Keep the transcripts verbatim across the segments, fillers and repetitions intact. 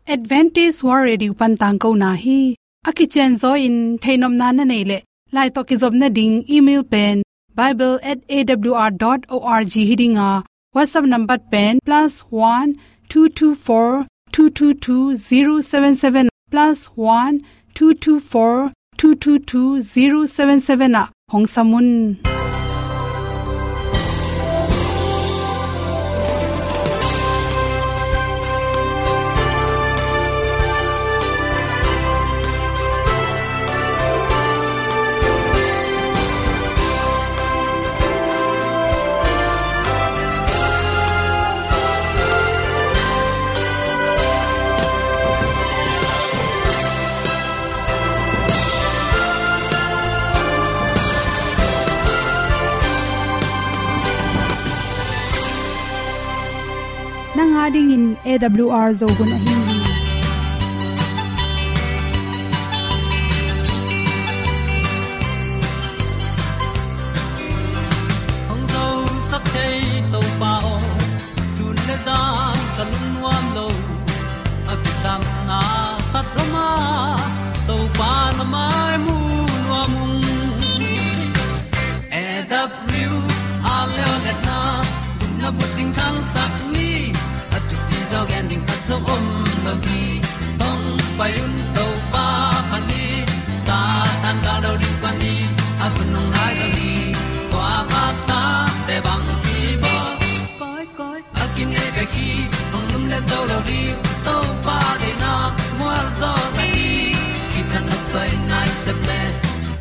Adventist World Radio pan tangkona hi. A kicianzaw in theihnopna na neih leh, lai tawh kizopna ding email pen bible at A W R dot org hi ding a, WhatsApp number pen plus one two two four two two two zero seven seven, plus one two two four two two two zero seven seven ah hong sam un. Nang a dingin A W R Zo hun ahi hi. Hong zosak thei Topa aw, sun le zan ka lungnuam lo. A kisam na khat lama Topa na mai mu nuam ung. A W R leo letna, gupna bucing thangsak ni, a thupi zaw gen ding khat zong om lo hi. Hong pai un Topa phat ni, Satan gal do ding kua ni, a hun hong nai zo hi. Kua vak tate bang kibawl. Koi, koi, a kinei bek hi, hong lumlet zo lo ding, Topa deihna mual zaw ta hi. Kithat nopsa in nai sep le,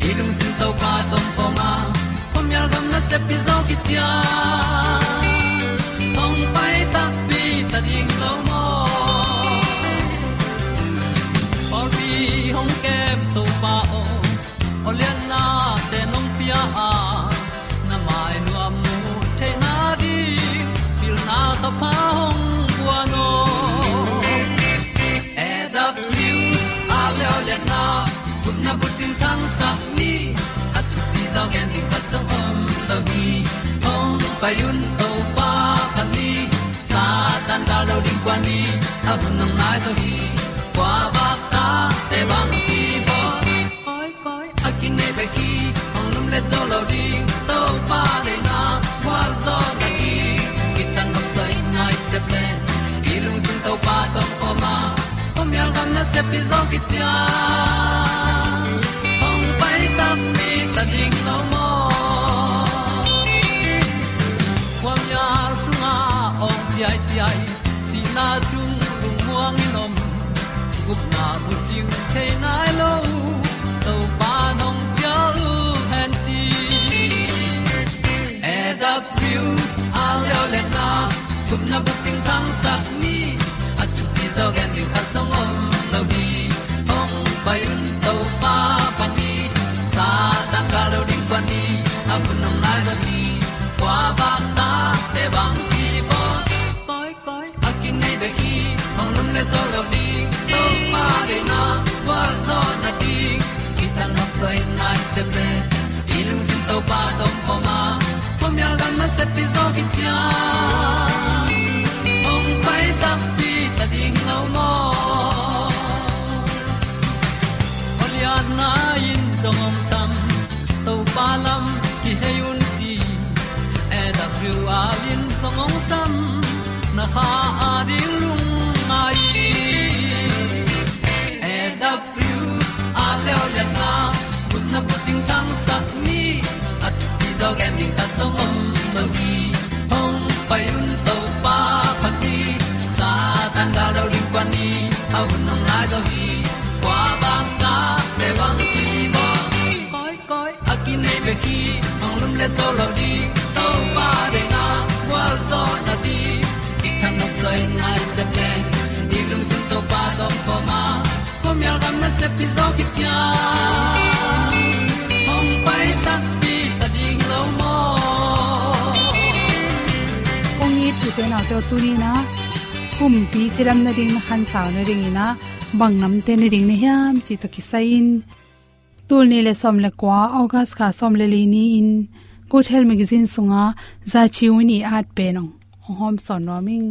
i lungsim Topa tawh om khawm a, khuamial gam nasep hi zaw kician. Hong pai takpi ta ding lo maw? Pawlpi hong kem Topa aw, aw liannate nong pia a, na mai nuam mu theihna ding pilna thupha hong guan aw. A W R leo letna, gupna bucing thangsak ni, a thupi zaw gen ding khat zong om lo hi. Hong pai un Topa phat ni, Satan gal do ding kua ni, a hun hong nai zo hi. Kua vak tate bang kibawl. Koi, koi, a kinei bek hi, hong lumlet zo lo ding, Topa deihna mual zaw ta hi. Kithat nopsa in nai sep le, i lungsim Topa tawh om khawm a, khuamial gam nasep hi zaw kician. Hong pai takpi ta ding lo maw? Khuamial sungah awng ciaiciai, sihna sung lungmuang in om, gupna bucing thei nai lo, Topa nong ciah uh hen ci. A W R leo letna, gupna bucing thangsak ni, a thupi zaw gen ding khat zong om lo hi. Hong pai un Topa phat ni, Satan gal do ding kua ni, a hun hong nai zo hi. Kua vak tate bang kibawl. Koi, koi, a kinei bek hi, hong lumlet zo lo ding, Topa deihna mual zaw na ding. Kithat nopsa in nai sep le, i lungsim Topa tawh om khawm a, khuamial gam nasep hi zaw kician. Hong pai takpi ta ding lo maw? Aw lianna in zong hong sam, Topa lam kihei un ci. A W R in zong hong sam, na kha a ding lungngai. A W R leo letna, gupna bucing thangsak ni, a thupi zaw gen ding khat zong om lo hi. Hong pai un Topa phat ni, Satan gal do ding kua ni, a hun hong nai zo hi. Kua vak tate bang kibawl. Koi, koi, a kinei bek hi, hong lumlet zo lo ding, Topa deihna mual zaw na ding. Kithat nopsa in nai sep le, i lungsim Topa tawh om khawm a, khuamial gam nasep hi zaw kician. Hong pai takpi ta ding lo maw? Kong it u te nau te, tuni in a, kumpi cidam nading na khansau nadingin a, bang namte nading na hiam cih tawh kisai in, tul nih le sawm le kua, August kha sawm le li ni-in Good Health Magazine sunga Za Ci Win i at pen hong, hong hawmsawn nuam ing.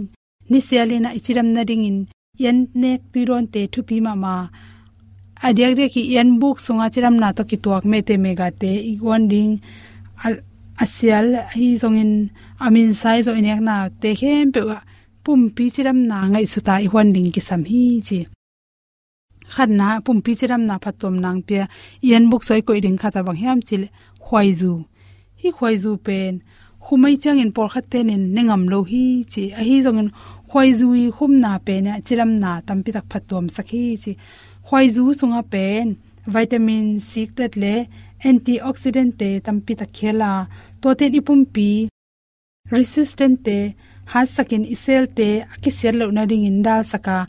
Nisial in a i cidam nadingin ian nek tui dawnte thupi mahmah. A diakdiak i ian buk sunga cidamna tawh kituak mehte megate i guan ding a, a sial ahi zongin a minsa i zawh i neknate khempeuh ah pumpi cidamna ngaihsuta i huan ding kisam hi ci. Khatna, pumpi cidamna phattuam nang pia ian buk soi koih ding khat a bang hiam cih leh khuaizu. Hih khuaizu pen khum ahih ciangin pawlkhat tenin ne ngam lo hi ci. Ahi zongin khuaizu i khumna pen ah cidamna tampitak phattuamsak hi ci. Khuaizu sungah pen vitamin C, D le antioxidant te tampitak khel a, tuate in i pumpi resistant te hatsakin i cell te a kisiat loh nadingin dalsak a,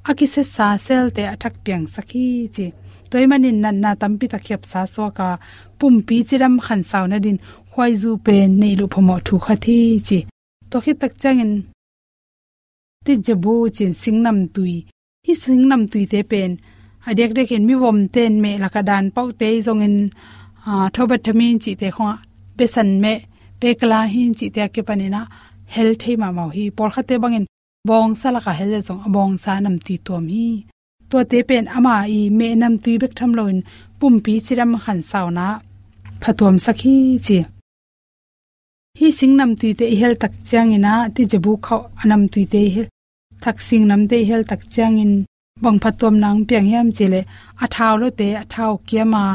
a kisetsa cell te a thak piangsak hi ci. Tua ahih manin natna tampitak khiapsa suak a, pumpi cidam khansau nadin khuaizu pen neih loh phamawh thu khat hi ci. Tua khit tak ciangin tijabu ci-in singnamtui. Hih singnamtuite pen a diakdiakin mivomte in meh lakah dan pauhte ahi zongin, aa, thobathamin cihte khawngah besan meh, pekla hin cihte a kipanin ah hel thei mahmah uh hi. Pawlkhatte bangin bawngsa lakah hel leh zong a bawngsa namtui tuam hi. Tuate pen ama i meh namtui bek tham loin pumpi cidam khansauna phatuamsak hi ci. Hih singnamtuite i hel tak ciangin ah tijabu khauh a namtuite i hel, thak singnamte i hel tak ciangin bang phattuamna hong piang hiam cih leh a thau lote a thau kiam a,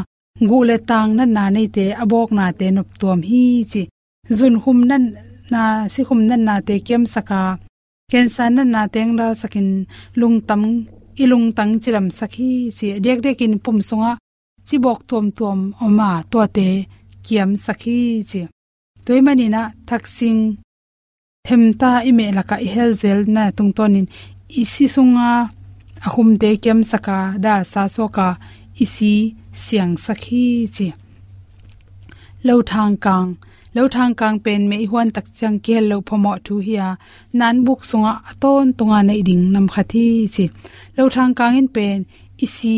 guh le tang natna neite a bawknate noptuam hi ci. Zunkhum natna, sikhum natnate kiamsak a, cancer natnate hong dalsakin lungtang, i lungtang cidamsak hi ci. A diakdiakin pum sungah cibawk tuamtuam om a, tuate kiamsak hi ci. Tua ahih manin ah thak sing themta i meh lakah i hel zelna tungtawnin i si sunga a khumte kiamsak a, dalsa suak a, i si siangsak hi ci. Lothangkang. Lothangkang pen meh i huan tak ciang kihel loh phamawh thu hi a, nanbuk sungah a tawntunga neih ding nam khat hi ci. Lothangkang in pen i si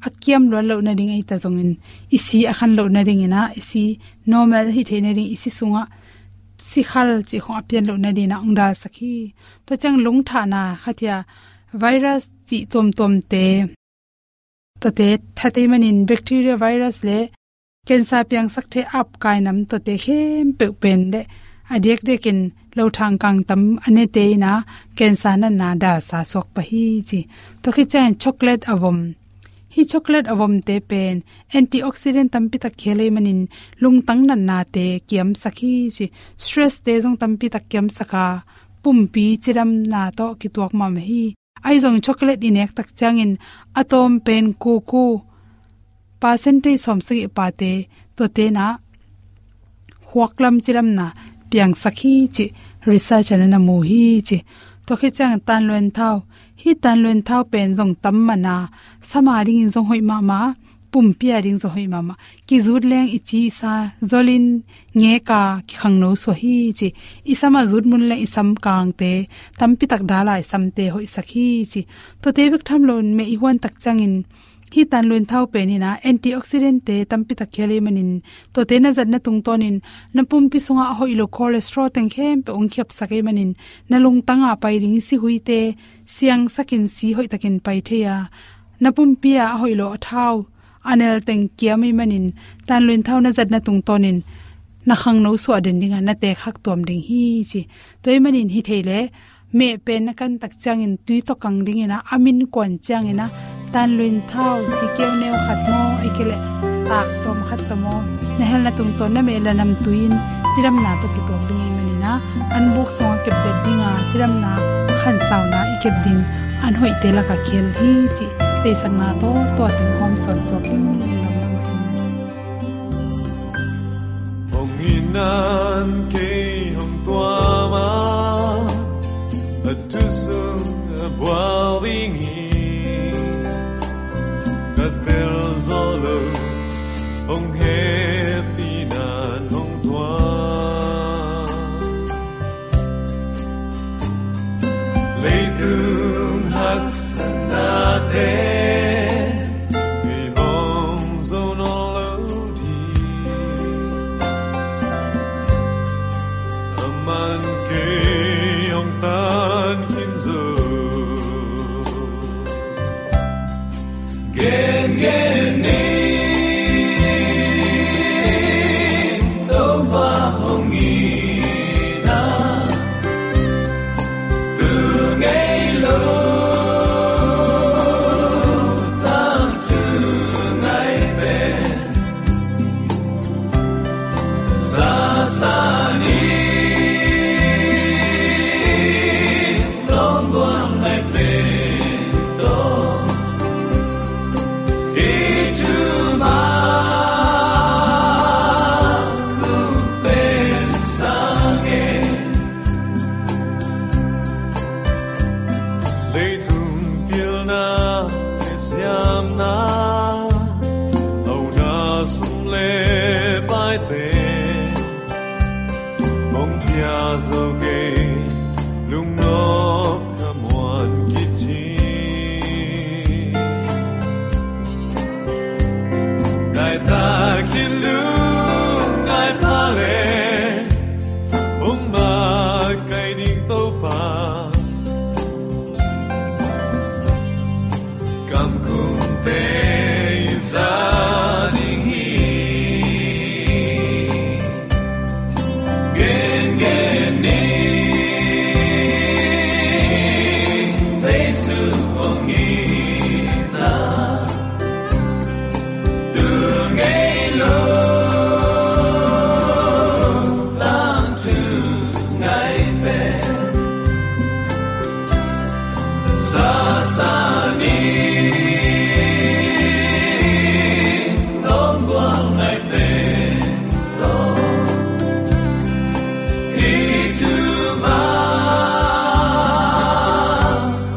a kiam luat loh nading ahi ta zongin, i si a khan loh nadingin ah, i si normal hi thei nading, i si sungah sikhal cih khawng a pian loh nadingin ah hong dalsak hi. Tua ciang lungthahna khat hi a, virus cih tuamtuamte, tuate that ahih manin bacteria, virus le cancer piangsak thei apkai nam tuate khempeuh pen le a diakdiakin lothangkang tam a nete in ah cancer natna dalsa suak pah hi ci. Tua khit ciangin chocolate a vom. Hih chocolate a vomte pen antioxidant tampitak khel ahih manin lungtang natnate kiamsak hi ci. Stress te zong tampitak kiamsak a, pumpi cidamna tawh kituak mahmah hi. Ahi zong chocolate i nek tak ciangin a tawm pen kuku, percentage sawmsagih pate, tuate in ah khuak lam cidamna piangsak hi ci, research ah na mu hi ci. Tua khit ciang tanluan thau. Hih tanluan thau pen zong tam man a, sam a dingin zong hoih mahmah, pumpi a ding zong hoih mahmah. Kizut leng i ci i sa zolin ngek a kikhangno suah hi ci. I sam a zut mun leng i sam kangte tampitak dal a, i samte hoihsak hi ci. Tuate bek tham loin meh i huan tak ciangin hih tanluan thau pen in ah antioxidant te tampitak khel ahih manin, tuate na zatna tungtawnin na pumpi sungah a hoih lo cholesterol teng khempeuh hong khiapsak ahih manin, na lungtang a pai ding sihuite siangsakin si hoihtakin pai thei a, na pumpi a a hoih lo a thau a nel teng kiam ahih manin, tanluan thau na zatna tungtawnin na khangno suah den ding a, na tekhak tuam ding hi ci. Tua ahih manin hi thei leh meh pen na kan tak ciangin tui tawh kang dingin ah, a min kuan ciangin ah tanluan thau sikeu neu khat maw, ahih kei leh tak tawm khat tawh maw, na helna tungtawn na meh la namtui in cidamna tawh kituak ding ahih manin ah, an buk sungah kepdet ding a, cidamna khansauna i kep ding an hoihte lakah khel hi cih theihsakna tawh tua teng hawm sawn suak hi. Hong in nan kei hong tuam a, a thu sung a bual ding hi. Ka tel zaw lo, hong hehpih nan hong tuam. Leitung haksatnate, kei hong zo nawn lo ding. Aman kei hong tan khin zo. Gen gen ni, Topa hong itna, tu ngei lo, tangthu ngai pen, sasa ni, longguang ngai pen tawh, i thu mah kong pen sang e. Leitung pilna le siamna, auna sum le paite, hong pia zo kei, lungnop khamuan kici. Ngai takin lungngai pha le, hong makaih ding Topa, kamkumte i za ding hi. Gen gen ni, Jesu hong itna, tu ngei lo, tangthu ngai pen, sasa ni, longguang ngai pen tawh, i thu mah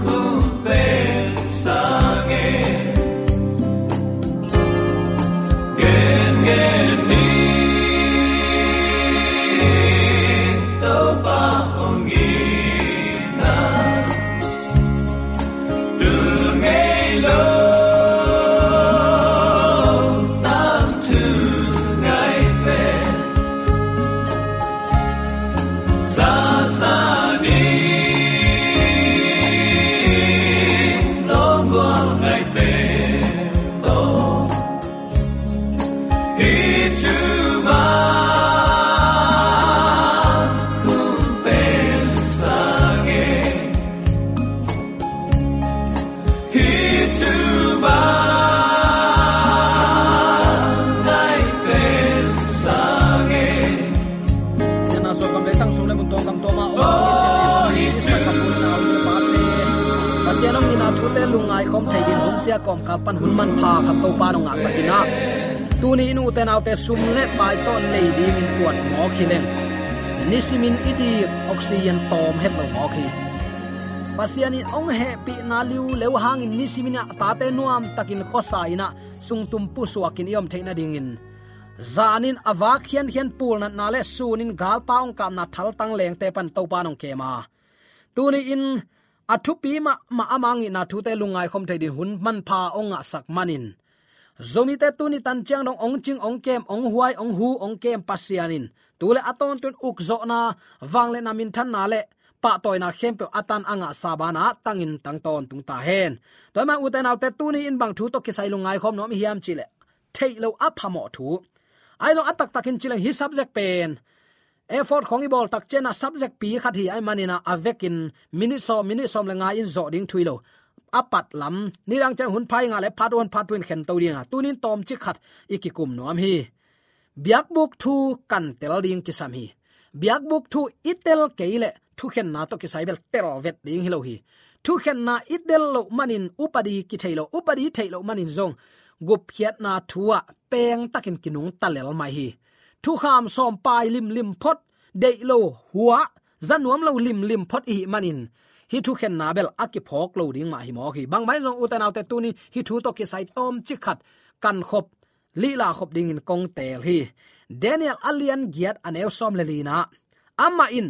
kong pen sang e. Gen gen ni, Topa hong itna, tu ngei lo, tangthu ngai pen, sasa ni, longguang ngai pen tawh, i thu mah kong pen sang e. Hi thu mah ngai pen sang e. Sianna suah kam le tang sung le mun tuam gam tuam ah om, Pasian hong itna thute lungngai khawm thei dingin hun sia kawmkal pan hun manpha khat Topa hong ngahsak in ah, tuni in ute naute sum le pai tawh lei dingin tuat mawk hi leng, nisimin i dik oxygen tawm het lo mawk hi. Pasian in hong hehpihna liuleu hangin nisimin ah a tate nuamtakin khuasa in ah sungtum pusuakin i om theih nadingin, zanin a vak khiankhian pulnatna le sunin galpa hong kapna thaltang lengte pan Topa hong kem a, tuni in a thupi mahmah a hong itna thute lungngai khawm thei dingin hun manpha hong ngahsak manin, Zomite tuni tan ciang dong hong cing, hong kem, hong huai, hong hu, hong kem Pasian in tu le a tawntung ukzawhna, vangliatna, minthanna le pahtawina khempeuh a tan a ngahsa banah tangin tang tawntung ta hen. Tua ahih manin ute naute, tuni in bang thu tawh kisai lungngai khawm nuam i hiam cih leh, theih loh a phamawh thu. Ahi zong a taktakin ci leng hih subject pen effort khawng i bawl tak ciangin ah subject pi khat hi ahih manin ah a vekin minute sawm, minute sawm le nga in zawh ding thu hi lo. A pat lam nidang ciang hun pha i ngah leh part one, part two in khen to ding a, tuni in tawmcik khat i kikum nuam hi. Biakbuk thu kan tel ding kisam hi. Biakbuk thu i tel kei leh thukhenna tawh kisai bel tel vet ding hi lo hi. Thukhenna i tel loh manin upadi kithei lo, upadi theih loh manin zong gupkhiatna thu ah pengtakin kinungta lel mai hi. Thukham sawm pai limlim phot, deih lo, huah, za nuam lo limlim phot i hih manin hih thukhenna bel a kiphawk lo ding mah hi mawk hi. Bang mah in zong ute naute, tuni hih thu tawh kisai tawmcik khat kan khop, lihla khop dingin kong teel hi. Daniel a lian giat a neu sawm le lina, amah in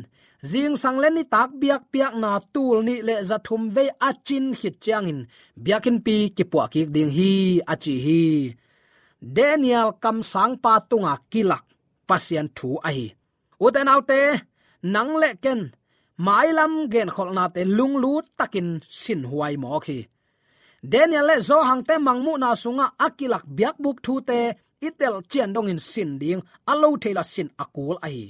zingsang le nitak biakpiakna tul nih le za thum vei a cin khit ciangin biakinnpi kipuah kik ding hi, a ci hi. Daniel kamsangpa tunga kilak Pasian thu ahi. Ute naute, nang le ken mailam genkholhnate lunglut takin sinhuai mawk hi. Daniel le Johan te mangmuhna sungah a kilak biakbuk thute i telh cian dongin sin ding a lo thei lo a sin a kul ahi.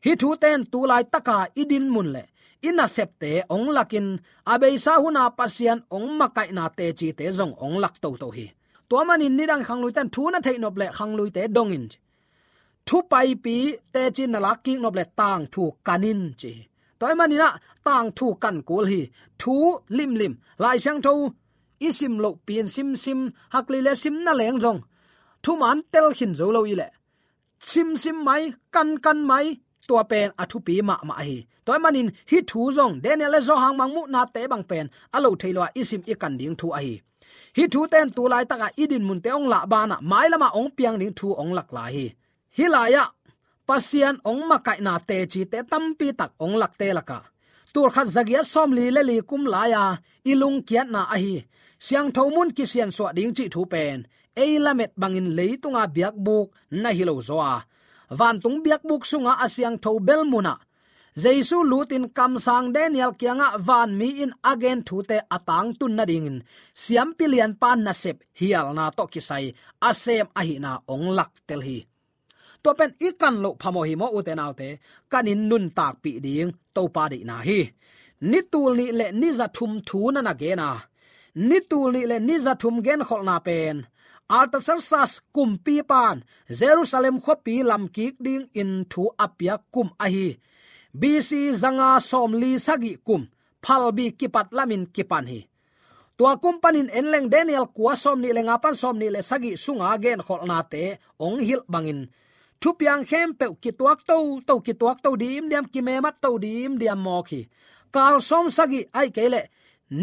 Hih thute in tu laitaka i dinmun le i nasepte hong lakin a beisa huna Pasian hong makaihna tecite zong hong lak toto hi. Tua manin nidang khangluite in thu na theih nop le khangluite dongin, thu paipi teci na lak kik nop le tangthu kan in ci hi. Tua ahih manin ah tangthu kan kul hi. Thu limlim Lai Siangtho i sim lohpi in simsim, hak leh sim na leng zong thuman tel khin zo lo i leh simsim mai, kankan mai, tua pen a thupi mahmah ahi. Tua ahih manin hih thu zong Daniel le Johan mangmuhnate bang pen a lo thei lo a i sim i kan ding thu ahi. Hih thute in tu laitakah i dinmunte hong lah banah mailamah hong piang ding thu hong lak lai hi. Hih lai-ah Pasian hong makaihna tecite tampi tak hong lakte lakah tulkhat zagiat sawmli le li kum lai-a i lungkiatna ahi siangtho mun kisiansuah ding cih thu pen ei lamet bangin leitunga biakbuk na hi lo zaw a, vantung biakbuk sunga a siangtho bel munah Jesu lutin kamsang Daniel kiangah vanmi in a gen thute a tangtun nadingin siampi lianpa nasep hialna tawh kisai a sem ahihna hong laktel hi. Tua pen i kan loh phamawh hi maw, ute naute? Kan in nuntakpih ding Topa deihna hi. Ni tul nih le ni za thum thu na na gen a, ni tul nih le ni za thum genkholhna pen Artaxerxes kumpipan Jerusalem khuapi lamkik dingin thu a piak kum ahi B C zanga sawmli sagih kum phalbi kipat lamin kipan hi. Tua kum panin en leng Daniel kua sawmnih le nga pan sawmnih le sagih sunga genkholhnate hong hilh bangin thupiang khempeuh kituak toto, kituak to dimdiam, kimemat to dimdiam mawk hi. Kal sawm sagih ahih kei leh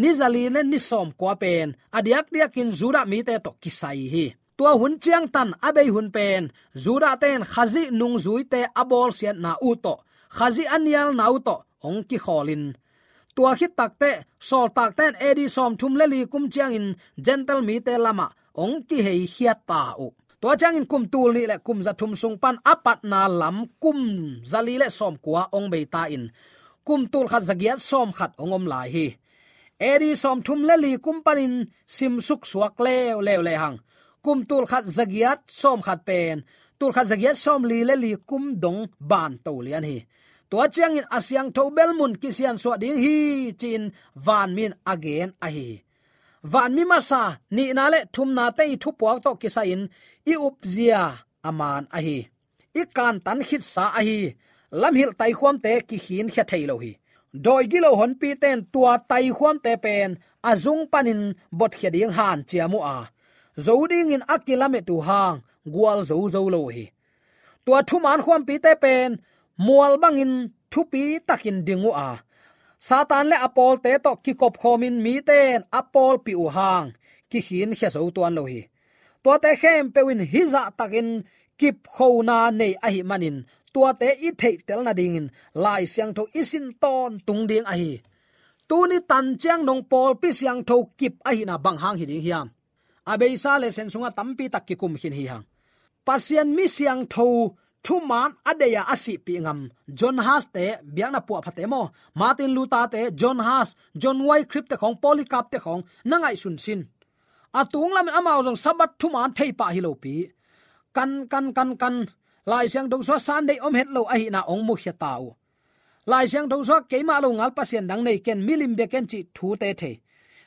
ni zali le ni sawmkua pen a diakdiakin Judah mite tawh kisai hi. Tua hun ciangtan a bei hun pen Judah ten Khazih nungzuite a bawlsiatna uh tawh, Khazih a nialna uh tawh hong kikhawlin, tua khit takteh sawltakte in A D sawmthum le li kum ciangin Gentile mite lamah hong kiheikhiat ta uh. Tua ciangin kum tul nih le kum za thum sung pan a patna lam kum zali le sawmkua hong bei ta in kum tulkhat zagiat sawmkhat hong om lai hi. A D sawmthum le li kum panin simsuk suak leuleu lehang kum tulkhat zagiat sawmkhat pen tulkhat zagiat sawmli le li kum dong ban to lian hi. Tua ciangin a siangtho bel mun kisiansuah ding hi ci-in vanmi in a gen ahi hi. Vanmi masa, nihna le thumnate i thupuak tawh kisai-in i upzia a man ahi. I kantan khitsa ahi lamhilh taikhuamte kikhinkhia thei lo hi. Dawi gilo honpite in tua taikhuamte pen a zung panin botkhia ding hanciam uh a, zo dingin a kilamet uh hang gualzo zo lo uh hi. Tua thuman khuampite pen mual bangin thupi takin ding uh a, Satan le a pawlte tawh kikopkhawmin mite in a pawlpih uh hang kikhinkhia zo tuan lo hi. Tuate khempeuh in hih zahtakin kipkhona nei ahih manin tuate i theihtel nadingin Lai Siangtho i sin tawntung ding ahi. Tuni tan ciang nong pawlpi siangtho kip ahihna bang hang hi ding hiam? A beisa le sen sungah tampi tak kikum khin hi hang. Pasian mi siangtho thuman a deih a a sihpih ngam John Huss te, biakna puahphate maw, Martin Luther te, John Huss, John Wycliffe te khawng, Polycarp te khawng na ngaihsun sin. A tung lamin amau zong Sabbath thuman thei pah hi lopi, kan kan kan kan Lai Siangtho sungah Sunday om het lo ahihna hong mukhia ta uh. Lai Siangtho sungah keimah lo ngal pasian dang nei ken, milim bia ken cih thute thei,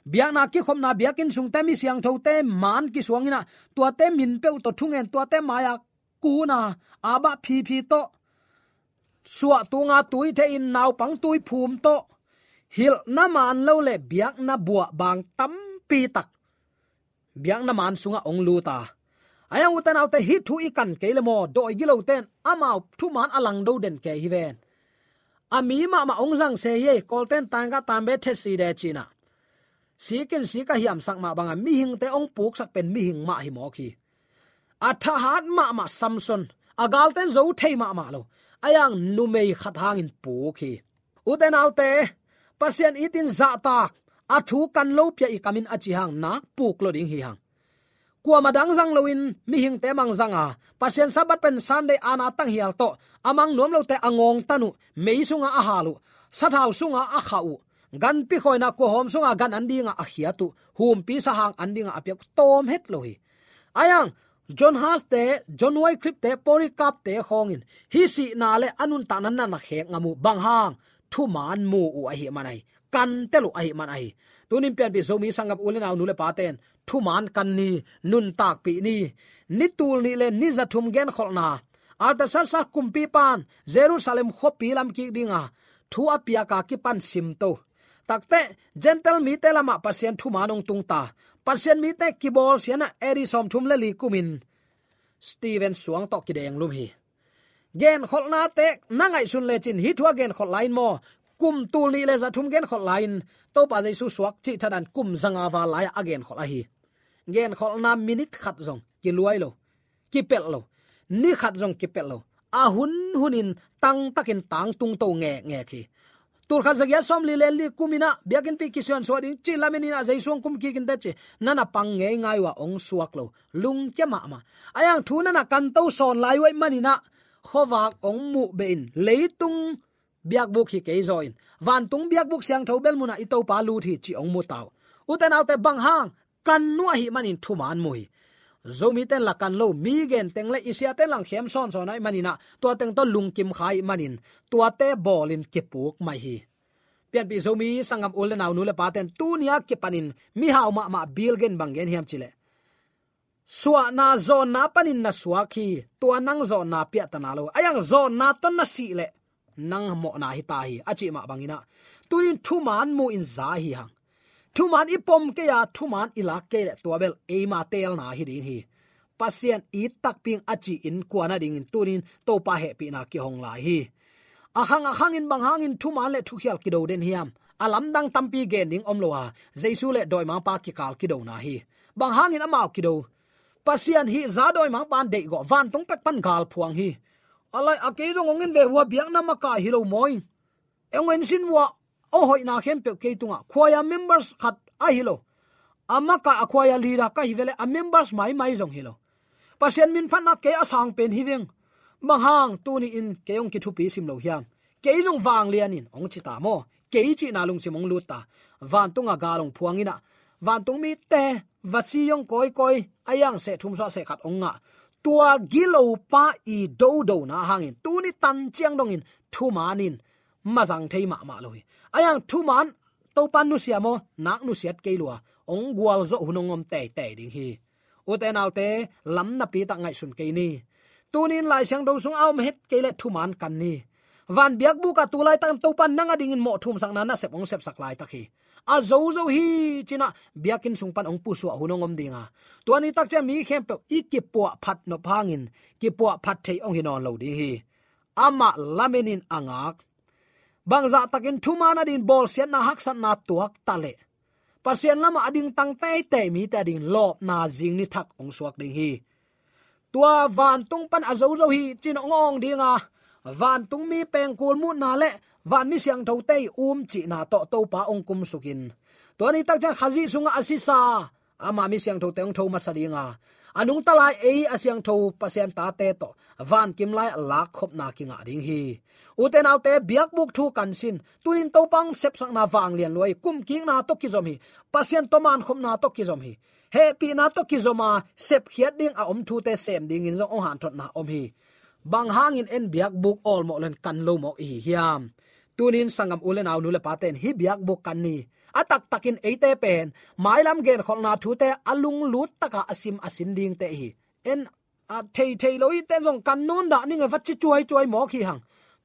biakna kikhopna biakinn sungte mi siangthote man kisuang inah tuate min peuh tawh thungen, tuate mai-a kun a, a bah phiphi tawh, suah tunga tui theihin naupang tui phum tawh, hilhna man lo le biakna buah bang tampi tak biakna man sungah hong lut a. Ahi hang ute naute, hih thu i kan kei le maw, dawi gilote in amau thuman a langdo den kei hi ven. A mi mahmah hong zang se hi ei, Kawlten tangka tambe thet si de cinah, sikin sika hiamsak mah banga mihingte hong puksak pen mihing mah hi mawk hi. A thahat mahmah Samson, a galten zo thei mahmah lo, ahi hang numei khat hangin puk hi. Ute naute, Pasian itin zahtak, a thu kan lo pia i kamin a ci hang nak puk lo ding hi hang. Kuamah dang zang loin mihingte mang zanga Pasian Sabbath pen Sunday ana tanghial tawh a mang nuam lote a ngawngtan uh, mei sunga a hal uh, sathau sunga a khah uh, Ganpi khawina kuahawm sunga gan an dinga a khiat uh, humpi sahang an dinga a piak uh tawm het lo hi. Ayang, John Huss te, John Wycliffe te, Polycarp te khawngin hih sihna le a nuntakna na na khek ngam uh, bang hang, thuman mu uh ahih man ahi, kantel uh ahih man ahi. Tunin pianpih Zomi sanggam u le nau, nu le pate'n thuman kan ni, nuntakpih ni. Ni tul nih le ni za thum genkholhna, Artaxerxes kumpipa'n Jerusalem khuapi lam kik dinga thu a piaka kipan simto. Takte, Gentile mite lamah Pasian thuman hong tungta. Pasian mite kibawlsiatna A D sawmthum le li kumin Stephen suang tawh kidenglum hi. Genkholhnate na ngaihsun lecin hih thu a genkholh lai-in maw, kum tul nih le za thum genkholh lai-in Topa Jesu suak cih thadah kum zanga val lai-ah a genkholh ahi. Genkholhna minit khat zong kiluai lo, kipelh lo, ni khat zong kipelh lo. A hun hunin tangtakin tangtung to ngekngek hi. Tul khat za giat sawmli le li kumin ah biakinnpi kisiansuah ding ci lamen in ah Jesu hong kum kik inteh ci, na na pang ngeingai uh a, hong suak lo, lungkia mahmah. Ayang, thu na na kanto sawn lai uh ahih manin ah khuavak hong muh behin leitung biakbuk hi kei zaw in, vantung biakbuk siangtho bel munah i Topa lut hi ci hong mu ta uh. Ute naute, bang hang, kan uh ahih manin thuman mu hi. Zomite'n la kan lo, mi gen teng le i siate'n la hong khem sawnsawn ahih manin ah, tua teng tawh lungkim kha ahih manin tuate bawlin kipuk mai hi. Pianpih Zomi sanggam u le nau, nu le pate'n tuni-a kipanin mihau mahmah Bill Gates bang gen hiam cih leh, suahna zawnna panin na suak hi, tua nang zawnna piahtana lo. Ayang, zawnna tawh na sih leh nang mawhna hi ta hi, a cih mah bangin ah, tunin thuman mu in za hi hang. Thuman i pom kei a, thuman i lak kei leh tua bel eima teelna hi ding hi. Pasian it takpi ing a ci-in kuan a dingin tunin Topa hehpihna kihong lai hi. A khang a khangin bang hangin thuman le thukhial kido den hiam? A lamdang tampi gen ding om lo a, Jesu le dawimangpa kikal kidona hi. Bang hangin amau kido? Pasian hihza dawimangpa'n deihgawh, vantung pek pan gal phuang hi. A lai a, kei zong hong en ve, hua biakna makai hi lo maw. Hong en sin vua, a hoihna khempeuh kei tungah, khuaia members khat ahi lo. A makai a khuaia leader ka hi ve leh a members maimai zong hi lo. Pasian min phatna kei a sang pen hi veng. Bang hang tuni-in kei hong kithupi sim lo hiam? Kei zong vanglianin hong ci ta maw? Kei cihna lungsim hong lut ta. Vantung a gal hong phuang in ah, vantung mite va si hong kawikawi, a iang seh thum suah seh khat hong ngah. Tua gilopa i dodona hangin tuni tan ciang dongin thuman in mazang thei mahmah lo hi. A iang thuman Topa nusia maw, nak nusiat kei lua, hong gualzawh hun hong om teitei ding hi. Ute naute, lam napi tak ngaihsun kei ni. Tunin Lai Siangtho sung a om het kei leh thuman kan ni. Van biakbuk ah tu laitak Topa nang a dingin mawh thumsakna nasep hong sepsak laitak hi. A zozo hi ci-in ah biakinn sung pan hong pusuah hun hong om ding a, tua ni tak ciang mi khempeuh i kipuahphat nop hangin kipuahphat thei hong hi nawn lo ding hi. Amah lamenin a ngak. Bangzah takin thuman a dingin bawlsiatna haksatna tuak ta leh, Pasian lamah a dingtang teitei mite a dingin lawpna zing ni thak hong suak ding hi. Tua vantung pan a zozo hi ci-in hong awng ding a, vantung mi pengkul muhna le vanmi siangthote i um cihna tawh Topa hong kumsukin, tua ni tak ciang Khazih sungah a sisa ama mi siangthote hong tho masa ding a, a nungta lai ei a siangtho Pasian tate tawh vankim lai-ah lakkhopna kingah ding hi. Ute naute, biakbuk thu kan sin. Tunin Topa hong sepsakna vanglian lua hi. Kumkikna tawh kizom hi. Pasian tawh mankhopna tawh kizom hi. Hehpihna tawh kizom a, sepkhiat ding a om thute sem dingin zong hong hanthotna om hi. Bang hangin en biakbuk awlmawh lo-in kan lo mawk i hi hiam? Tunin sanggam u le nau, nu le pate'n hih biakbuk kan ni. A taktakin eite pen mailam genkholhna thute a lunglut taka a sim a sin dingte i hi. En a theithei lo hite'n zong kan nawn dah ning e, va ci cuaicuai mawk hi hang.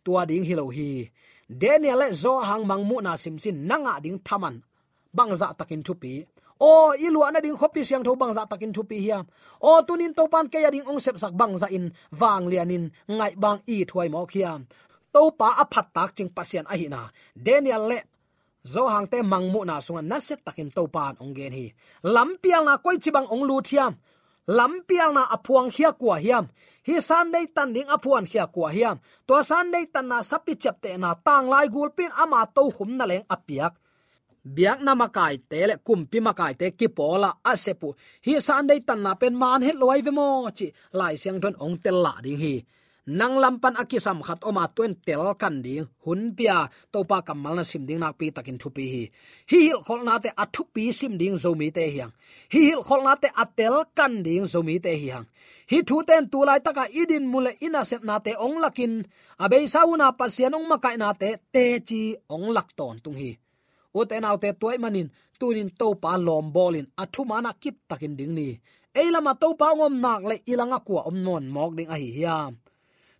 Tua ding hi lo hi. Daniel le Johan mangmuhna simsin, na ngah ding thaman bangzah takin thupi. Aw, i luah nading khuapi siangtho bangzah takin thupi hiam? Aw, tunin Topa'n kei a ding hong sepsak bangzahin vanglianin ngaih bang i thuai mawk hiam? Topa a phattak cing Pasian ahihna Daniel le Johan-te mangmuhna sungah nasiatakin Topa'n hong gen hi. Lampialna koici bang hong lut hiam? Lampialna a phuangkhia kua hiam? Hih Sunday tan ding a phuankhia kua hiam? Tua Sunday tanna sapi ciaptehna tanglai gulpi in ama tokhom naleng a piak biakna makaite le kumpi makaite kipawl a a sep uh hih Sunday tanna pen man het lo ahi ve maw cih Lai Siangtho in hong tel lah ding hi. nang lam pan a kisam khat om a, tua in tel kan ding hun pia, Topa kammal na sim ding nakpi takin thupi hi. Hih hilhkholhnate a thupi sim ding Zomite hi hang. Hih hilhkholhnate a tel kan ding Zomite hi hang. Hih thute in tu laitaka i dinmun le i nasepnate hong lakin, a beisa hun a Pasian hong makaihnate teci hong lak tawntung hi. Ute naute, tua ahih manin tunin Topa lawm bawlin a thuman ah kiptakin ding ni. Ei lamah Topa hong om nak leh i langah kua om nawn mawk ding ahi hiam?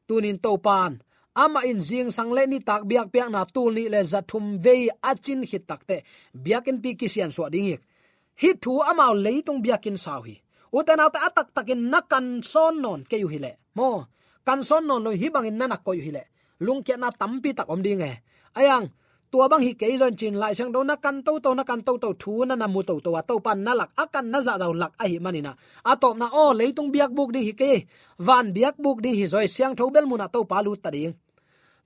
Tunin Topa in, amah in zingsang le nitak biakpiakna tul nih le za thum vei a cin khit takteh biakinnpi kisiansuah ding hi. Hih thu amau leitung biakinn sau hi. Ute naute, a taktakin na kan sawn nawn kei uh hileh, maw, kan sawn nawn lo, hih bangin na na koih uh hileh, lungkiatna tampi tak om ding e. Ahi hang, tua bang hi kei zaw in ci-in Lai Siangtho na kan toto, na kan toto, thu na na mu toto a, Topa in na lak, a kan na zahzah uh lak ahih manin ah, a tawpna, aw, leitung biakbuk ding hi kei, van biakbuk ding hi zaw hi, siangtho bel mun ah Topa lut ta ding.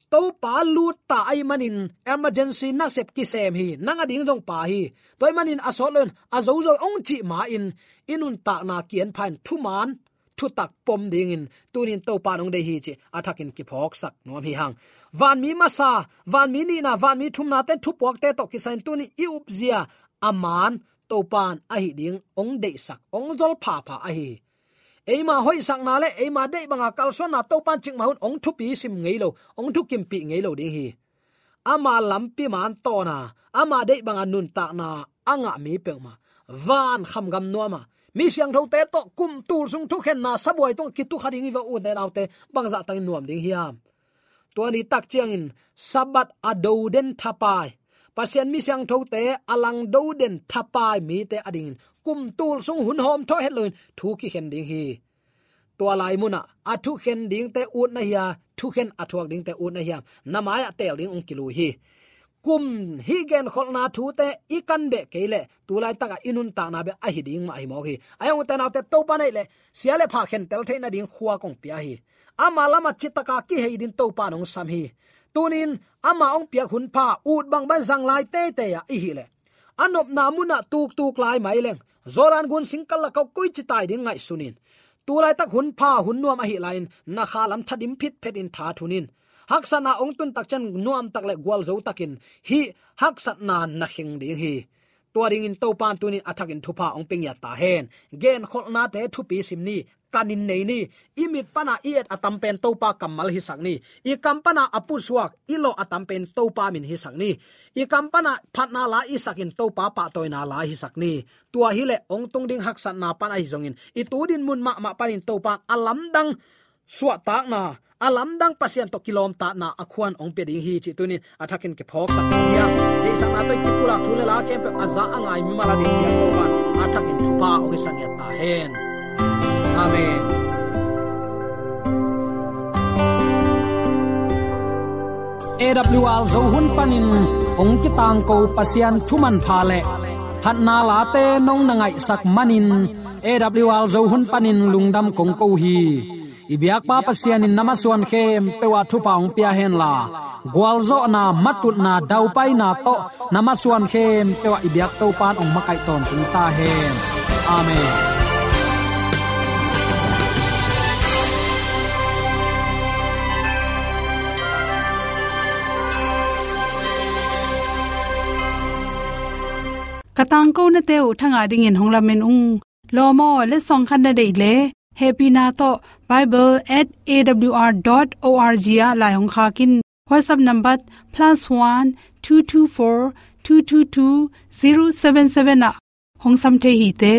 Topa lut ta ahih manin emergency nasep kisem hi, nang a ding zong pha hi. Tua ahih manin a sawt lo in a zozo hong cih ma-in i nuntakna kian pha in thuman thutak pom dingin tunin Topa in hong deih hi cih a thakin kiphawksak nuam hi hang. Vanmi masa, vanmi nihna, vanmi thumnate in thupuakte tawh kisai in tunin i upzia a man Topa in ahi ding hong deihsak, hong zol phapha ahi hi. Eima hoihsakna le eima deih banga kalsuanna Topa in cikmah hun hong thupi sim ngei lo, hong thukimpih ngei lo ding hi. Ama lampi man tawna, ama deih banga nuntakna a ngah mi peuhmah, van khamgam nuama, mi siangthote tawh kum tul sung thukhenna sabuai tungah kitukha ding hi ve, ute naute, bangzah takin nuam ding hiam? Tua ni tak ciangin Sabbath a do den thapai, Pasian mi siangthote a lang do den thapai mite adingin kum tul sung hun hawm thawh het loin thu kikhen ding hi. Tua lai munah a thukhen dingte ut na hia, thukhen a thuak dingte ut na hiam, na mai-ah teel ding hong kilui hi. Kum hih genkholhna thute i kan beh kei leh tu laitakah i nuntakna beh ahi ding mah hi mawk hi. Ahi hang ute naute, Topa in ahih leh sia le pha khentel theih nading khua kong pia hi. Ama lamah citaka kihei ding Topa in hong sam hi. Tunin ama hong piak hun pha ut bangbang zang lai teitei ah i hih leh, a nopna munah tuktuk lai mai leng, Jordan gun singkal lakah koici tai ding ngaihsun in. Tu laitak hun pha hun nuam ahi lai-in na kha lam thadim phitphet in tha thun in. Haksatna hong tun tak ciang nuamtak le gualzo takin hih haksatna na kheng ding hi. Tua dingin Topa in tunin a thakin thupha hong pia ngiat ta hen. Genkholhnate thupi sim ni, kanin nei ni. I mit pana i et a tam pen Topa kammal hisak ni. I kam pana a pusuak i lawh a tam pen Topa min hisak ni. I kam pana phatna la i sakin Topa pahtawina la hisak ni. Tua hileh hong tung ding haksatna pan ahi zongin, i tu dinmun mahmah panin Topa in a lamdang suahtakna, a lamdang Pasian tawh kilawmtatna a khuan hong pia ding hi cih tunin a thakin kiphawksak ding hiam? Deihsakna tawh i kipulak thu le la khempeuh a za a ngai mimal a ding piak Topa in a thakin thupha hong hisak ngiat ta hen. Amen. A W R Zo hun panin hong kitangko Pasian thumanpha le phatna late nong na ngaihsak manin A W R Zo hun panin lungdam kong ko hi. I biakpa Pasian in na masuan khempeuh ah thupha hong pia henla, gualzawhna, matutna, daupaina tawh na masuan khempeuh ah i biak Topa in hong makaih tawntung ta hen. Amen. Ka tangkonate uh thangah dingin hong lamen ung. Lawm aw, letsong khat na deih leh, hehpihna tawh bible at A W R dot O R G ah lai hong khak in. WhatsApp number plus one two two four two two two zero seven seven ah hong sam thei hi te.